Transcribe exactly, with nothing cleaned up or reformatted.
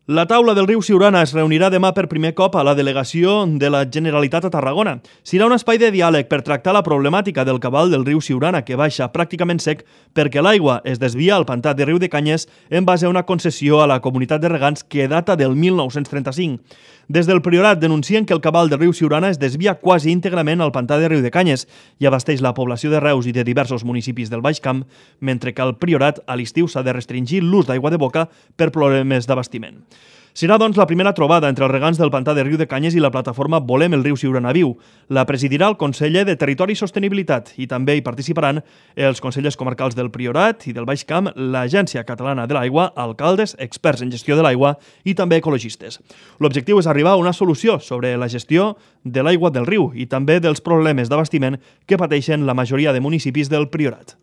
La taula del riu Siurana es reunirà demà per primer cop a la delegació de la Generalitat a Tarragona. Serà un espai de diàleg per tractar la problemàtica del cabal del riu Siurana, que baixa pràcticament sec perquè l'aigua es desvia al pantà de Riu de Canyes en base a una concessió a la comunitat de regants que data del mil nou-cents trenta-cinc. Des del Priorat denuncien que el cabal del riu Siurana es desvia quasi íntegrament al pantà de Riu de Canyes i abasteix la població de Reus i de diversos municipis del Baix Camp, mentre que al Priorat a l'estiu s'ha de restringir l'ús d'aigua de boca per problemes d'abastiment. Serà, doncs, la primera trobada entre els regants del pantà de Riu de Canyes i la plataforma Volem el riu Siurana viu. La presidirà el conseller de Territori i Sostenibilitat i també hi participaran els consellers comarcals del Priorat i del Baix Camp, l'Agència Catalana de l'Aigua, alcaldes, experts en gestió de l'aigua i també ecologistes. L'objectiu és arribar a una solució sobre la gestió de l'aigua del riu i també dels problemes d'abastiment que pateixen la majoria de municipis del Priorat.